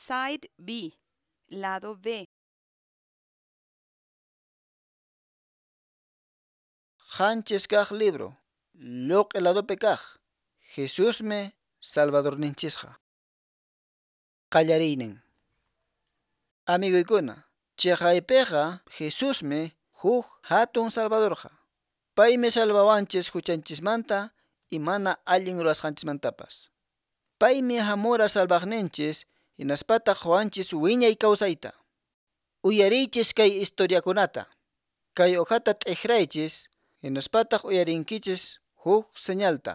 Side B. Lado B. Qanchis kaq libro, lluq'i ladopi kaq, Jesusmi Salvadorninchisqa. Qallariynin. Amiguykuna, chiqaypiqa Jesusmi huk hatun Salvadorqa. Paymi salvawanchis huchanchismanta y mana allin rurasqanchismantapas. Paymi hamura salvaqninchis hinaspataq quwanchis wiñay kawsayta. Uyariychis kay historiakunata. Kay hojata t'ikraychis hinaspataq uyarinkichis huk señalta.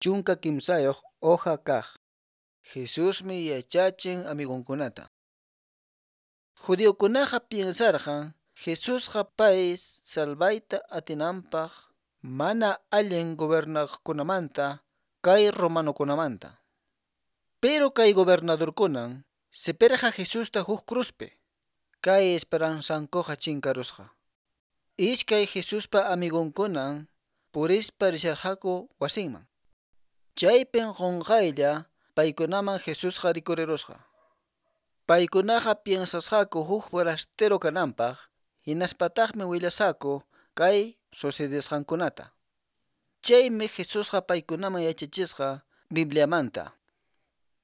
13 hoja kaq. Jesusmi yachachin amigunkunata. Judiokunaqa piensarqan Jesusqa pay salvayta atinanpaq mana allin gobernaqkunamanta kay romanokunamanta. Pero kay gobernadorkunan sipirqa Jesusta huk cruzpi. Kay esperanzankuqa chinkarusqa. Iskay Jesuspa amigunkunan purispa risharqaku wasinman. Chaypin qunqaylla paykunaman Jesusqa rikurirusqa. Paykunaqa piensasqaku huk forastero kananpaq, hinaspataqmi willasqaku kay sucedesqankunata. Chaymi Jesusqa paykunaman yachachisqa Bibliamanta.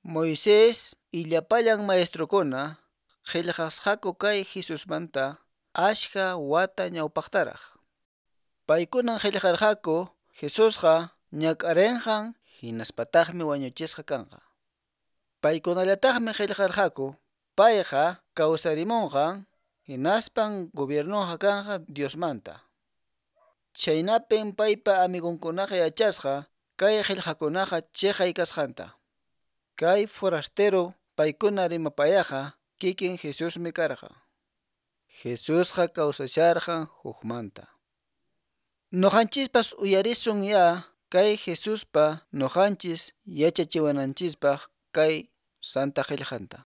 Moisés y llapallan maestrokuna qillqasqaku kay Jesusmanta achka wata ñawpaqtaraq. Paykunan qillqarqaku Jesusqa ñak'arinqan hinaspataqmi wañuchisqa kanqa. Paykunallataqmi qillqarqaku payqa kawsarimunqan hinaspan gobiernonqa kanqa Diosmanta. Chaynapin paypa amigunkunaqa yachasqa kay qillqakunaqa chiqay kasqanta. Kay forastero paykuna rimapayaqa kikin Jesusmi karqa. Jesusqa kawsasharqan hukmanta. Nuqanchispas uyarisun ya kay Jesuspa nuqanchis yachachiwananchispaq kay Santa Qillqanta.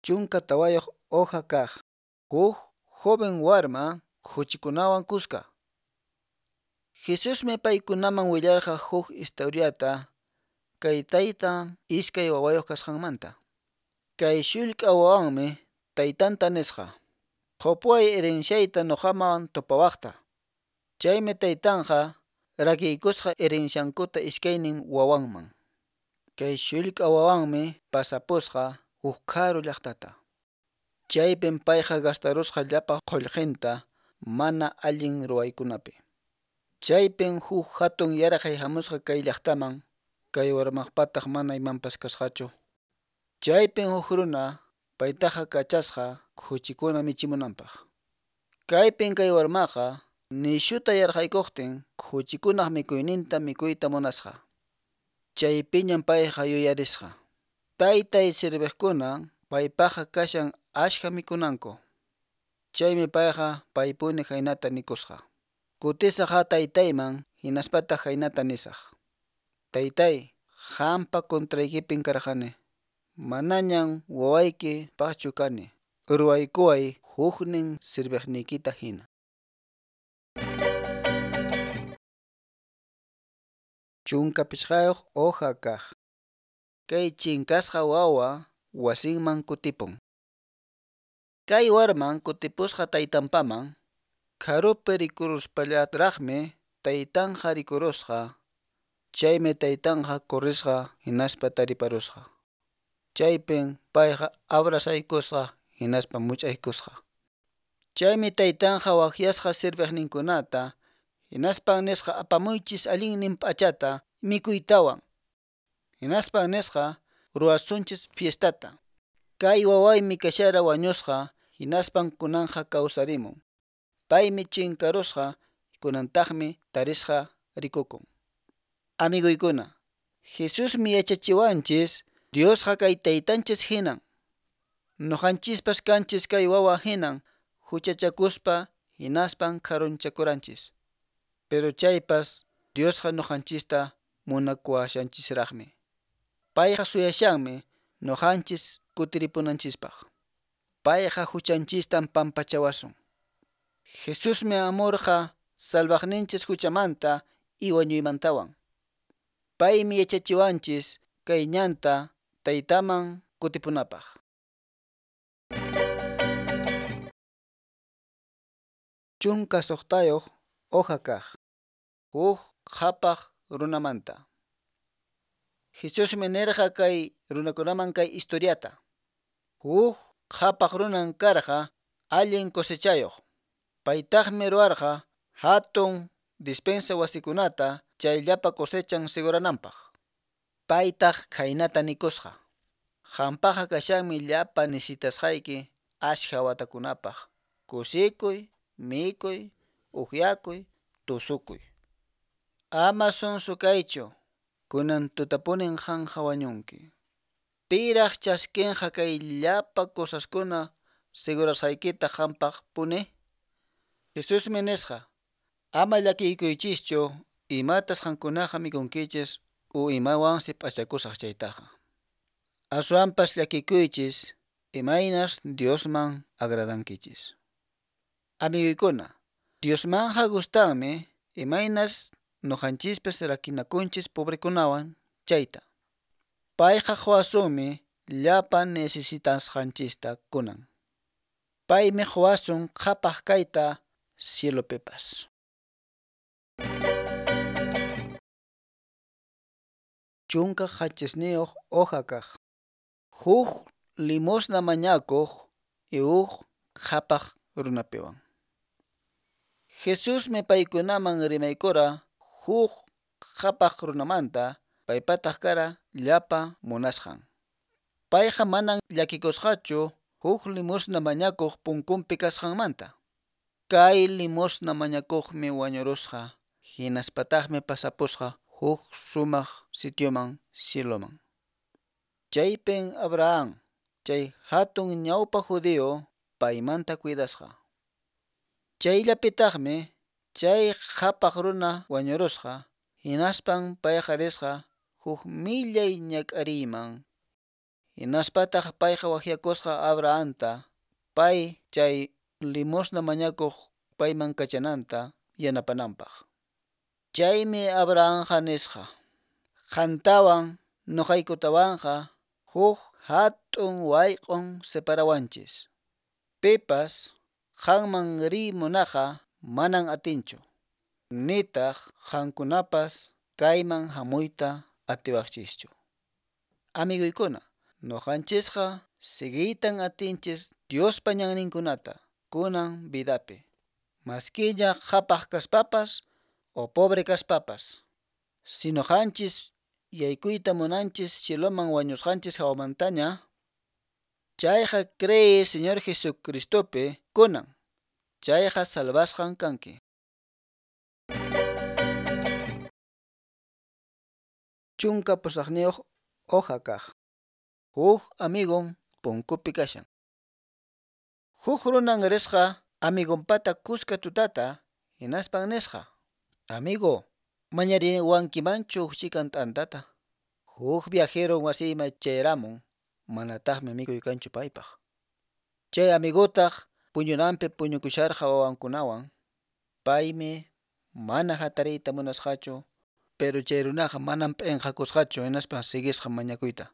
14 hoja kaq. Huk joven warma khuchikunawan kuska. Jesusmi paykunaman willarqa huk historiata kay taytan iskay wawayuq kasqanmanta. Kay shullk'a wawanmi taytanta nisqa: "Qupuway herenciayta nuqaman tupawaqta." Chaymi taytanqa rakiykusqa herenciankuta iskaynin wawanman. Kay shullk'a wawanmi pasapusqa huk karu llaqtata. Chaypin payqa gastarusqa llapa qullqinta mana allin ruwaykunapi. Chaypin huk hatun yaraqay hamusqa kay llaqtaman, kay warmaqpataq mana imanpas kasqachu. Chaypin huk runa paytaqa kachasqa khuchikuna michimunanpaq. Kaypin kay warmaqa nishuta yarqaykuqtin khuchikunaq mikuyninta mikuyta munasqa. Chaypiñan payqa yuyarisqa: Taytay serviqkuna paypaqqa kashan achka mikunanku. Chaymi payqa paypuni khaynata nikusqa: Kutisaq taytayman hinaspataq khaynata nisaq: Taytay, qampa contraykipin karqani. Manañan wawayki paqchu kani. Ruwaykuway huknin serviqniykita hina. 15 hoja kaq. Kay chinkasqa wawa wasinman kutipun. Kay warman kutipusqa taytanpaman, karupi rikuruspallaraqmi taytanqa rikurusqa. Chaymi taytanqa corrisqa hinaspa tariparusqa. Chaypin payqa abrazaykusqa hinaspa much'aykusqa. Chaymi taytanqa waqyasqa serviqninkunata hinaspan nisqa apamuychis allinnin p'achata mikuytawan. Hinaspan nisqa ruwasunchis fiestata. Kay wawaymi kashara wañusqa hinaspan kunanqa kawsarimun. Paymi chinkarusqa kunantaqmi tarisqa rikukun. Amiguykuna, Jesusmi yachachiwanchis Diosqa kay taytanchis hinan. Nuqanchispas kanchis kay wawa hinan huchachakuspa hinaspan karunchakuranchis. Pero chaypas Diosqa nuqanchista munakuwashanchisraqmi. Payqa suyashanmi nuqanchis kutiripunanchispaq. Payqa huchanchistan pampachawasun. Jesusmi amurqa salvaqninchis huchamanta y wañuymantawan. Paymi yachachiwanchis kay ñanta Taytaman kutipunapaq. 16 hoja kaq. Huk qhapaq runamanta. Jesusmi nirqa kay runakunaman kay historiata. Huk qhapaq runan karqa allin cosechayuq. Paytaqmi ruwarqa hatun dispensa wasikunata chay llapa cosechan segurananpaq. Paytaq khaynata nikusqa: Qampaqqa kashanmi llapa necesitasqayki ashkha watakunapaq. Kusikuy, mikuy, upyakuy, tusukuy. Ama sonso kaychu, kunan tutapunin qanqa wañunki. Piraq chaskinqa kay llapa cosaskuna segurasqaykita qampaq puni? Jesusmi nisqa: Ama llakikuychischu imatas qankunaqa mikunkichis u imawansi p'achakusaq chaytaqa. Aswanpas llakikuychis imaynas Diosman agradankichis. Amiguykuna, Diosmanqa gustanmi imaynas nuqanchispas rakinakunchis pobrekunawan chayta. Payqa quwasunmi llapa necesitasqanchista kunan. Paymi quwasun qhapaq kayta cielopipas. 17 hoja kaq. Huk limosna mañakuq y huk qhapaq runapiwan. Jesusmi paykunaman rimaykura huk qhapaq runamanta, paypataq kara llapa munasqan. Payqa manan llakikusqachu huk limosna mañakuq punkunpi kasqanmanta. Kay limosna mañakuqmi wañurusqa, hinaspataqmi pasapusqa huk sumaq sitioman cieloman. Chaypin Abraham, chay hatun ñawpa judío, paymanta cuidasqa. Chayllapitaqmi chay qhapaq runa wañurusqa, hinaspan payqa risqa huk millay ñak'ariyman. Hinaspataq payqa waqyakusqa Abrahamta, pay chay limosna mañakuq payman kachananta yanapananpaq. Chaymi Abrahamqa nisqa: Qantawan nuqaykutawanqa huk hatun wayq'un separawanchis. Pipas qanman riy munaqqa manan atinchu, nitaq qankunapas kayman hamuyta atiwaqchischu. Amiguykuna, nuqanchisqa siguiytan atinchis Diospa ñanninkunata kunan vidapi. Maskiña qhapaq kaspapas o pobre kaspapas. Si nuqanchis yaykuyta munanchis cieloman wañusqanchis hawamantaña, chayqa cree Señor Jesucristopi kunan, chayqa salvasqan kanki. 18 hoja kaq. Huk amigon punkupi kashan. Huk runan risqa amigonpata kuska tutata, hinaspan nisqa: Amigo, mañariwankimanchu huk chikan t'antata. Huk viajero wasiyman chayaramun, manataqmi mikuy kanchu paypaq. Chay amigotaq puñunanpi puñukusharqa wawankunawan. Paymi mana hatariyta munasqachu, pero chay runaqa manam p'inqakusqachu hinaspan siguisqa mañakuyta.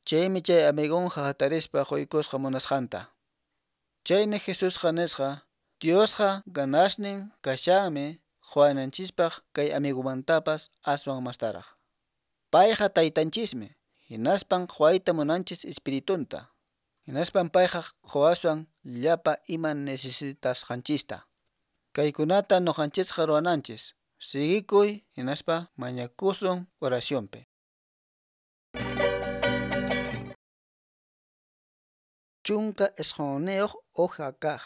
Chaymi chay amigonqa hatarispa quykusqa munasqanta. Chaymi Jesusqa nisqa: Diosqa ganasnin kashanmi quwananchispaq kay amigumantapas aswan mastaraq. Payqa taytanchismi, hinaspan quwayta munanchis espiritunta. Hinaspan payqa quwaswan llapa ima necesitasqanchista. Kaykunata nuqanchisqa ruwananchis. Siguikuy hinaspa mañakusun oracionpi. 19 hoja kaq.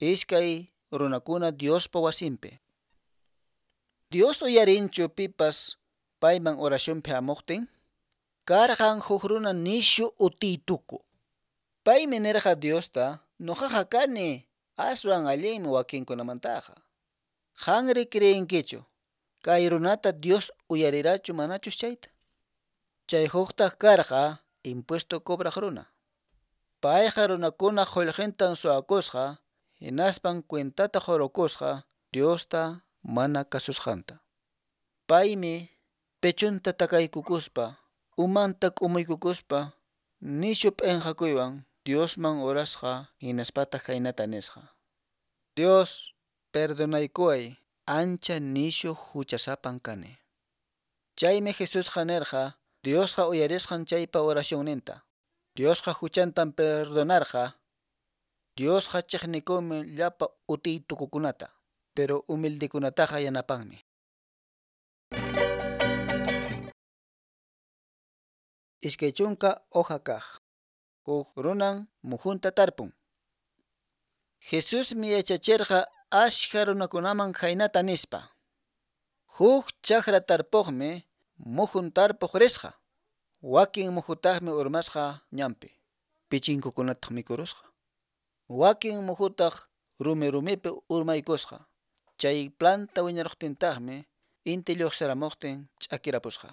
Iskay runakuna Diospa wasinpi. Dios uyarinchu pipas payman oracionpi hamuqtin? Karqan huk runa nishu utiytuku. Paymi nirqa Diosta: Nuqaqa kani aswan allinmi wakinkunamantaqa. Qanri creenkichu kay runata Dios uyarirachu manachus chayta? Chay huktaq karqa impuesto cobraq runa. Payqa runakuna qullqintan suwakusqa, hinaspan cuentata qurukusqa Diosta mana kasusqanta. Paymi pechonta takaykukuspa, umanta k'umuykukuspa, nishu p'enqakuywan Diosman orasqa hinaspataq khaynata nisqa: Dios, perdonaykuway, ancha nishu huchasapan kani. Chaymi Jesusqa nirqa Diosqa uyarisqan chaypa oracionninta. Diosqa huchantan perdonarqa. Diosqa chiqnikunmi llapa utiytukukunata, pero humildekunataqa yanapanmi. 20 hoja kaq. Huk runan muhunta tarpun. Jesusmi yachachirqa ashka runakunaman khaynata nispa: Huk chakra tarpuqmi muhun tarpuq risqa. Wakin muhutaqmi urmasqa ñanpi, pichinkukunataq mikurusqa. Wakin muhutaq rumi rumipi urmaykusqa. Chay planta wiñaruqtintaqmi inti lluqsiramuqtin ch'akirapusqa.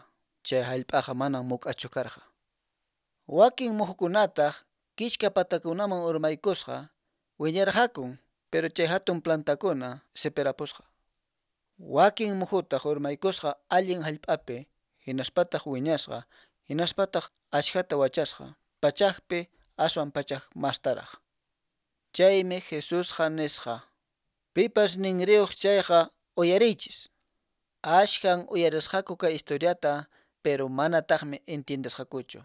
Chay hallp'aqa manan muk'achu karqa. Wakin muhukunataq kichka patakunaman urmaykusqa, wiñarqakun, pero chay hatun plantakuna sipirapusqa. Wakin muhutaq urmaykusqa allin hallp'api, hinaspataq wiñasqa, hinaspataq ashkhata wachasqa, pachakpi aswan pachak mastaraq. Chaymi Jesusqa nisqa: Pipas ninriyuq chayqa uyariychis. Ashkhan uyarisqaku kay historiata, pero manataqmi entiendesqakuchu.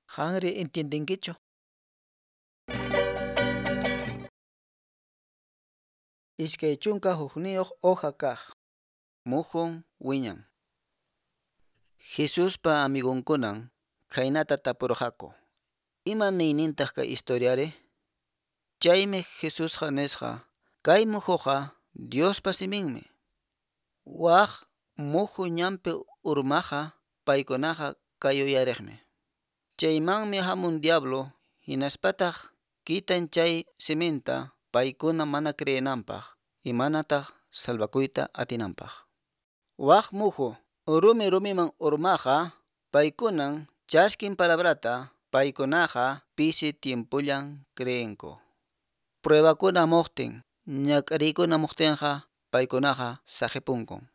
Qanri entiendenkichu? 21 hoja kaq. Muhun wiñan. Jesuspa amigonkunan khaynata tapurqaku: Ima niynintaq kay historiari? Chaymi Jesusqa nisqa: Kay muhuqa Diospa siminmi. Waq muhu ñanpi urmaqa paykunaqa kay uyariqmi. Chaymanmi hamun diablo hinaspataq kitan chay siminta paykuna mana creenanpaq imanataq salvakuyta atinanpaq. Waq muhu rumi rumiman urmaqa paykunan chaskin palabrata, paykunaqa pisi tiempollan creenku. Pruebakuna hamuqtin, ñak'ariykuna hamuqtinqa paykunaqa saqipunkun.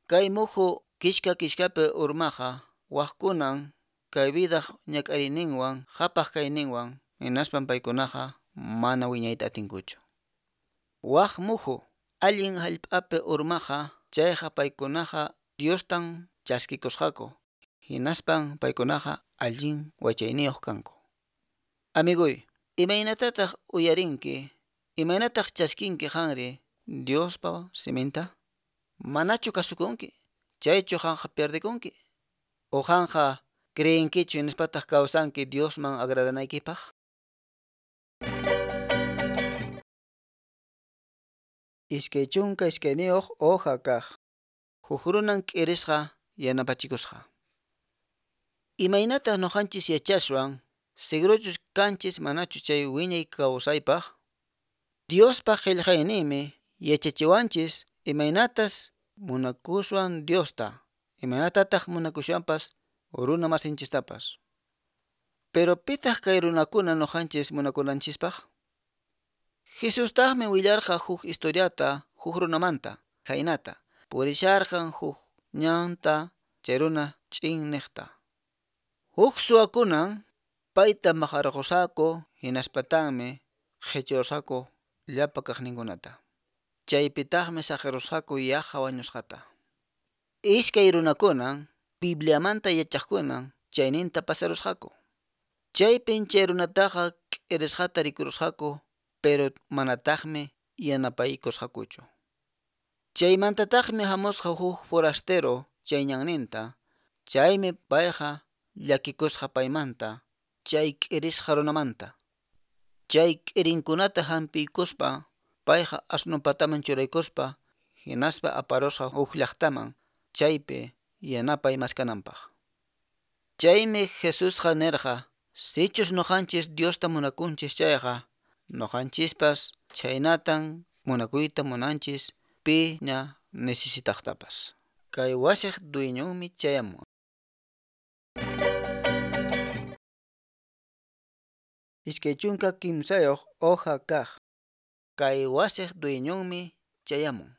Kay muhu kishka kishkapi urmaqa waqkunan kay vidaq ñak'ariyninwan qhapaq kayninwan hinaspan paykunaqa mana wiñayta atinkuchu. Waq muhu allin hallp'api urmaqa chayqa paykunaqa Diostan chaskikusqaku hinaspan paykunaqa allin wachayniyuq kanku. Amiguy, imaynatataq uyarinki, imaynataq chaskinki qanri Diospa siminta? Manachu kasukunki? Chaychu qanqa pierdekunki? O qanqa creenkichu hinaspataq kawsanki Diosman agradanaykipaq? 22 hoja kaq. Huk runan k'irisqa yanapachikusqa. Imaynataq nuqanchis yachaswan segurochus kanchis manachu chay wiñay kawsaypaq? Diospa qillqayninmi yachachiwanchis imaynatas munakuswan Diosta, imaynatataq munakuswanpas runa masinchistapas. Pero pitaq kay runakuna nuqanchis munakunanchispaq? Jesustaqmi willarqa huk historiata huk runamanta, khaynata, purisharqan huk ñanta chay runa ch'inniqta. Huk suwakunan payta maqarqusqaku hinaspataqmi qhichurqaku llapa kaqninkunata. Chaypitaqmi saqirusqaku yaqa wañusqata. Iskay runakunan Bibliamanta yachaqkunan chayninta pasarusqaku. Chaypin chay runataqa k'irisqata rikurusqaku, pero manataqmi yanapaykusqakuchu. Chaymantataqmi hamusqa huk forastero chay ñanninta, chaymi payqa llakikusqa paymanta, chay k'irisqa runamanta. Chay k'irinkunata hampiykuspa payqa asnu pataman churaykuspa hinaspa aparusqa huk llaqtaman chaypi yanapay maskananpaq. Chaymi Jesusqa nirqa: Sichus nuqanchis Diosta munakunchis chayqa, nuqanchispas chhaynatan munakuyta munanchis piña necesitaqtapas. Kay wasiq dueñonmi chayamun. 23 hoja kaq. Kay wasiq dueñonmi chayamun.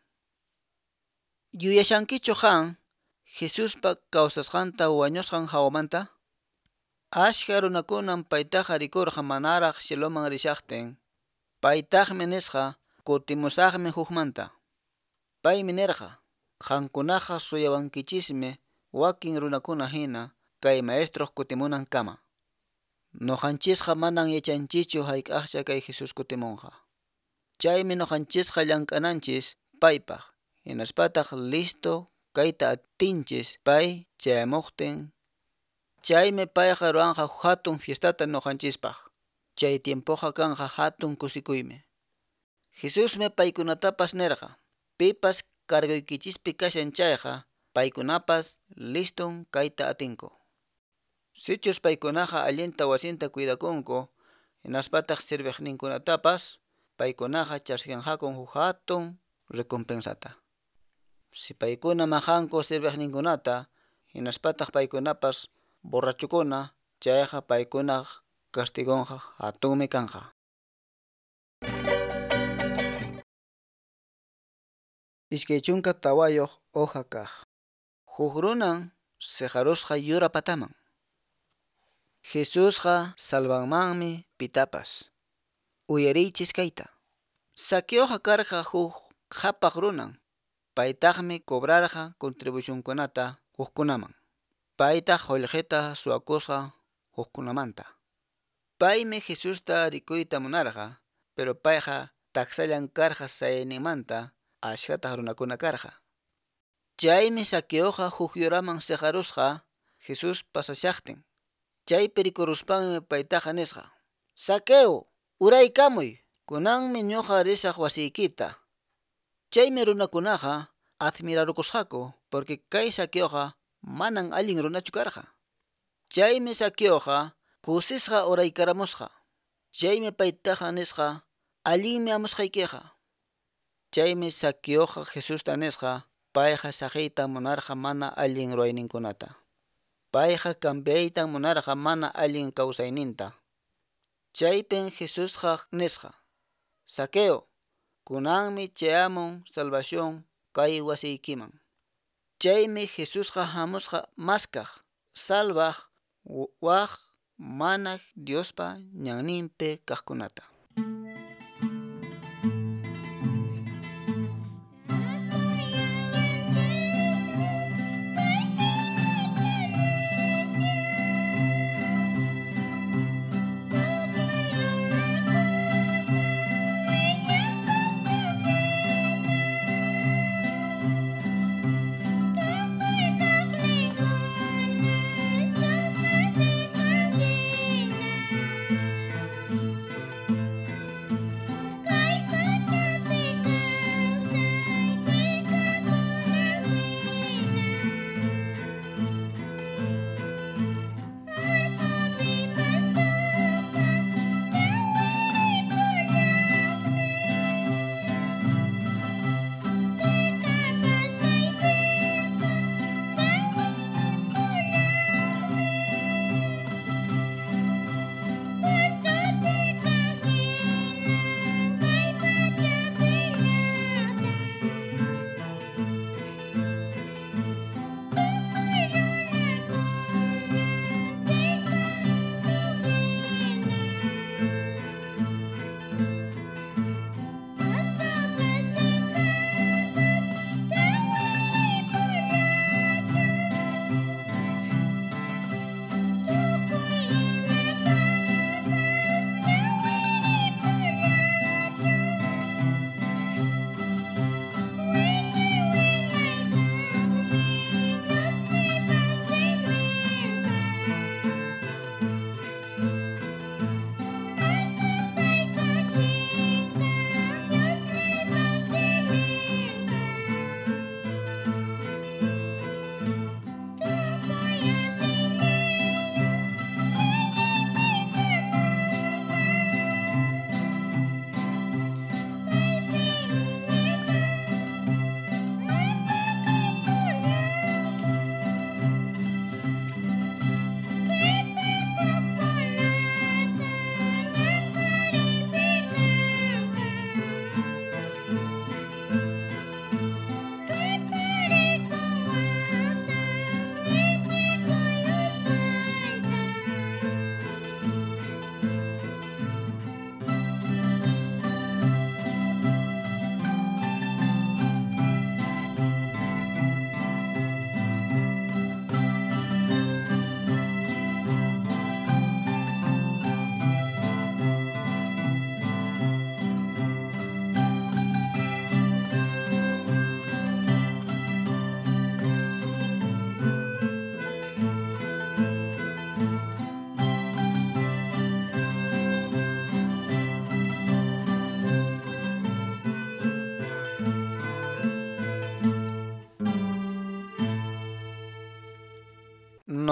Yuyashankichu qan Jesuspa kawsasqanta wañusqan hawamanta? Ashka runakunan paytaqa rikurqa manaraq cieloman rishaqtin. Paytaqmi nisqa kutimusaqmi hukmanta. Paymi nirqa, Qankunaqa suyawankichismi wakin runakuna hina kay maestroq kutimunankama. Nuqanchisqa manan yachanchischu hayk'aqcha kay Jesús kutimunqa. Chaymi nuqanchisqa llank'ananchis paypaq, hinaspataq listo kayta atinchis pay chayamuqtin. Chaymi payqa ruwanqa hatun fiestata nuqanchispaq. Chay tiempoqa kanqa hatun kusikuymi. Jesusmi paykunatapas nirqa, Pipas cargoykichispi kashan chayqa, paykunapas liston kayta atinku. Sichus paykunaqa allinta wasinta cuidakunku, hinaspataq serviqninkunatapas, paykunaqa chaskinqaku huk hatun recompensata. Si paykuna maqanku serviqninkunata, hinaspataq paykunapas borrachukuna, chayqa paykunaq castigonqa hatunmi kanqa. 24 hoja kaq. Huk runan siqarusqa yura pataman. Jesusqa salvanmanmi pitapas. Uyariychis kayta. Zaqueoqa karqa huk qhapaq runan. Paytaqmi cobrarqa contribucionkunata hukkunaman. Paytaq qullqita suwakusqa hukkunamanta. Paymi Jesusta rikuyta munarqa, pero payqa taksallan karqa sayayninmanta ashkhataq runakuna karqa. Chaymi Zaqueoqa huk yuraman siqarusqa Jesús pasashaqtin. Chaypi rikuruspanmi paytaqa nisqa: Zaqueo, uraykamuy, kunanmi ñuqa risaq wasiykita. Chaymi runakunaqa admirarukusqaku porque kay Zaqueoqa manan allin runachu karqa. Chaymi Zaqueoqa kusisqa uraykaramusqa. Chaymi paytaqa nisqa: Allinmi hamusqaykiqa. Chaymi Zaqueoqa Jesusta nisqa, payqa saqiyta munarqa mana allin ruwayninkunata. Payqa cambiaytan munarqa mana allin kawsayninta. Chaypin Jesusqa nisqa: Zaqueo, kunanmi chayamun salvación kay wasiykiman. Chaymi Jesusqa hamusqa maskaq, salvaq waq mana Diospa ñanninpi kaqkunata.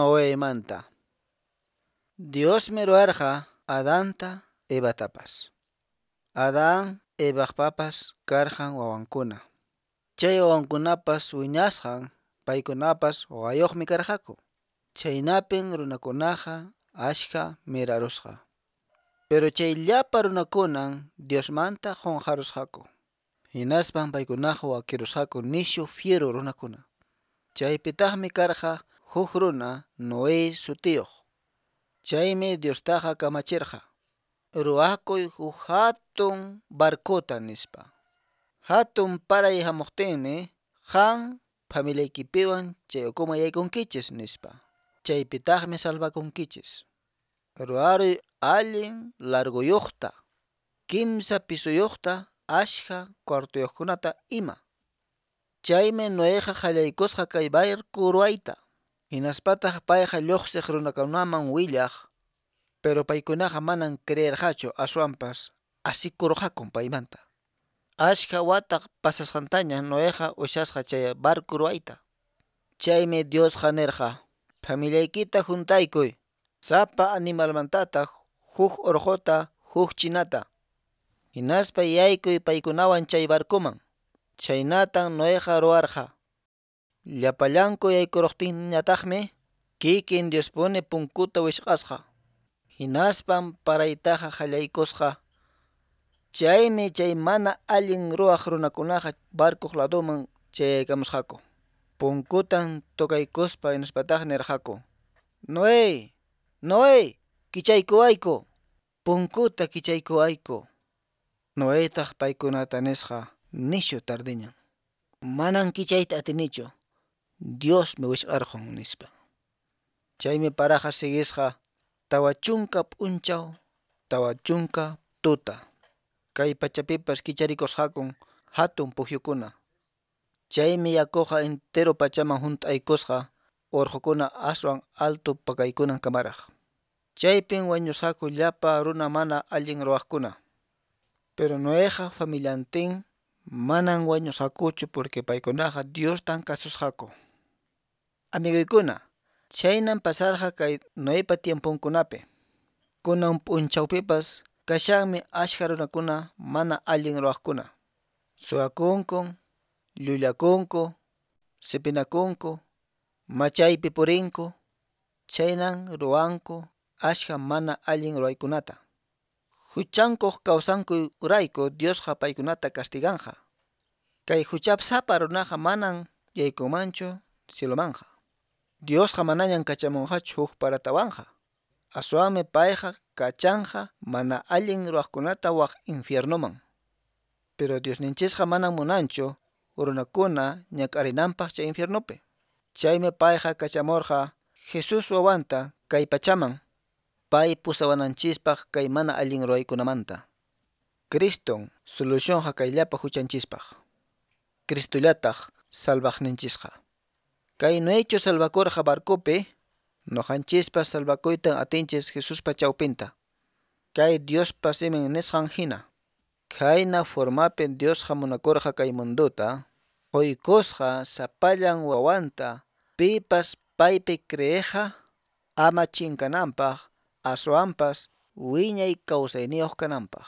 Noemanta. Diosmi ruwarqa Adanta Evatapas. Adán Evaqpapas karqan wawankuna. Chay wawankunapas wiñasqan paykunapas wawayuqmi karqaku. Chhaynapin runakunaqa askha mirarusqa. Pero chay llapa runakunan Diosmanta qunqarusqaku. Hinaspan paykunaqa wakirusqaku nishu fiero runakuna. Chaypitaqmi karqa huk runa Noé sutiyuq. Chaymi Diostaqa kamachirqa: Ruwakuy huk hatun barcota, nispa. Hatun paray hamuqtinmi qan familiaykipiwan chay ukuman yaykunkichis, nispa. Chaypitaqmi salvakunkichis. Ruwaruy allin largoyuqta, kimsa pisoyuqta, askha cuartoyuqkunata ima. Chaymi Noeqa qallaykusqa kay barco ruwayta. Hinaspataq payqa lluqsiq runakunaman willaq, pero paykunaqa manan creerqachu, aswanpas asikurqakun paymanta. Askha wata pasasqantaña Noeqa ushasqa chay barco ruwayta. Chaymi Diosqa nirqa: Familiaykita huntaykuy, sapa animalmantataq huk urquta, huk chinata. Hinaspa yaykuy paykunawan chay barcoman. Chhaynatan Noeqa ruwarqa. Llapallanku yaykuruqtinñataqmi kikin Diospuni punkuta wisq'asqa. Hinaspan paraytaqa qallaykusqa. Chaymi chay mana allin ruwaq runakunaqa barcoq ladoman chayaykamusqaku. Punkutan tocaykuspa hinaspataq nirqaku: Noé, Noé, kichaykuwayku, punkuta kichaykuwayku. Noetaq paykunata nisqa: Nishu tardiñan. Manan kichayta atinichu. Diosmi wisq'arqun, nispa. Chaymi paraqa siguisqa 40 p'unchaw, 40 tuta. Kay pachapipas kicharikusqakun hatun pukyukuna. Chaymi yakuqa entero pachaman hunt'aykusqa urqukuna aswan alto pakaykunan kamaraq. Chaypin wañusqaku llapa runa mana allin ruwaqkuna. Pero Noeqa familiantin manan wañusqakuchu porque paykunaqa Diostan kasusqaku. Amiguykuna, chhaynan pasarqa kay Noepa tiemponkunapi. Kunan p'unchawpipas kashanmi askha runakuna mana allin ruwaqkuna. Suwakunku, llullakunku, sipinakunku, machaypi purinku, chhaynan ruwanku askha mana allin ruwaykunata. Huchankuq kawsankurayku Diosqa paykunata castiganqa. Kay huchasapa runaqa manan yaykunmanchu cielomanqa. Diosqa manañan kachamunqachu huk paratawanqa. Aswanmi payqa kachanqa mana allin ruwaqkunata waq infiernoman. Pero Diosninchisqa manan munanchu runakuna ñak'arinanpaq chay infiernopi. Chaymi payqa kachamurqa Jesús wawanta kay pachaman, pay pusawananchispaq kay mana allin ruwaykunamanta. Criston solucionqa kay llapa huchanchispaq. Cristollataq salvaqninchisqa. Kay Noechu salvakurqa barcopi, noqanchispas salvakuytan atinchis Jesuspa chawpinta. Kay Diospa simin nisqan hina. Khayna formapi Diosqa munakurqa kay mundota, quykusqa sapallan wawanta, pipas paypi creeqqa ama chinkananpaq, aswanpas wiñay kawsayniyuq kananpaq.